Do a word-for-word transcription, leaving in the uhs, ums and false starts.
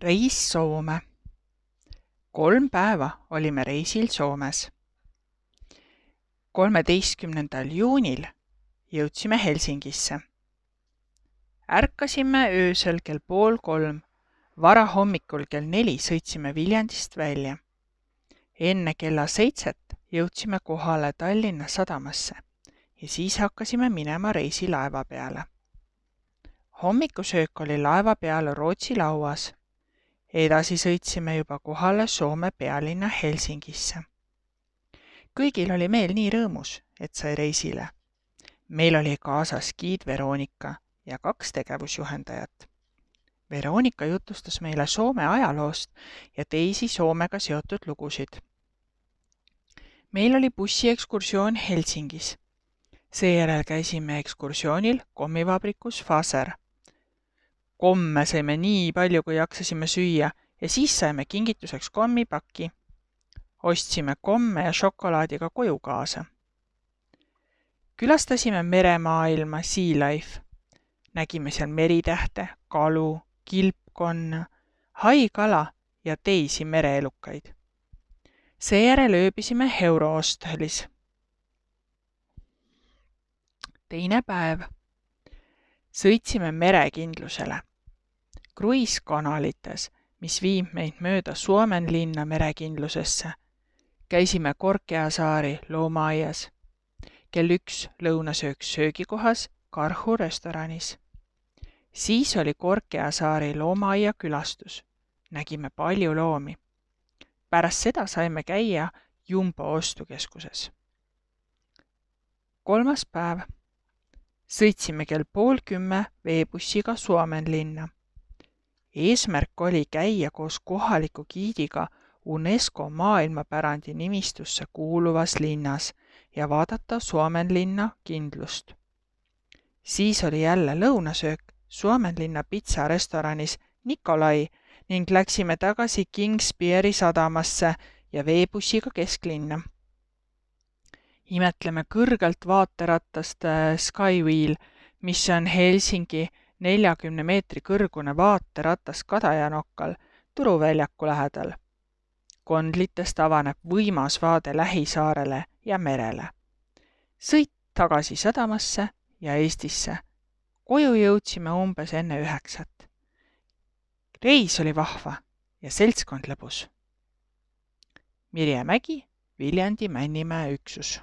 Reis Soome. Kolm päeva olime reisil Soomes. kolmeteistkümnendal juunil jõudsime Helsingisse. Ärkasime öösel kell pool kolm, varahommikul kell neli sõitsime Viljandist välja. Enne kella seitset jõudsime kohale Tallinna sadamasse ja siis hakkasime minema reisilaeva peale. Hommikusöök oli laeva peal Rootsi lauas. Edasi sõitsime juba kohale Soome pealinna Helsingisse. Kõigil oli meel nii rõõmus, et sai reisile. Meil oli kaasas giid Veronika ja kaks tegevusjuhendajat. Veronika jutustas meile Soome ajaloost ja teisi Soomega seotud lugusid. Meil oli bussiekskursioon Helsingis. Seejärel käisime ekskursioonil kommivabrikus Faser. Komme saime nii palju, kui jaksasime süüa ja siis saime kingituseks kommipaki. Ostsime komme ja šokolaadiga koju kaasa. Külastasime meremaailma Sea Life. Nägime seal meritähte, kalu, kilpkonna, haikala ja teisi mereelukaid. Seejärel ööbisime Eurohostelis. Teine päev. Sõitsime merekindlusele. Kruiiskanalites, mis viib meid mööda Suomenlinna merekindlusesse. Käisime Korkeasaari loomaaias. Kell üks lõunasöök söögikohas Karhu restoranis. Siis oli Korkeasaari loomaaia külastus. Nägime palju loomi. Pärast seda saime käia Jumbo ostukeskuses. Kolmas päev. Sõitsime kell pool kümme veebussiga Suomenlinna. Eesmärk oli käia koos kohaliku giidiga UNESCO maailmapärandi nimistusse kuuluvas linnas ja vaadata Suomenlinna kindlust. Siis oli jälle lõunasöök Suomenlinna pitsarestoranis Nikolai ning läksime tagasi Kingspieri sadamasse ja veebussiga kesklinna. Imetleme kõrgelt vaateratast Skywheel, mis on Helsingi neljakümne meetri kõrgune vaateratas Kadajanokkal Turuväljaku lähedal. Kondlitest avaneb võimas vaade Lähisaarele ja merele. Sõit tagasi sadamasse ja Eestisse. Koju jõudsime umbes enne üheksat. Reis oli vahva ja seltskond lõbus. Mirje Mägi, Viljandi Männimäe üksus.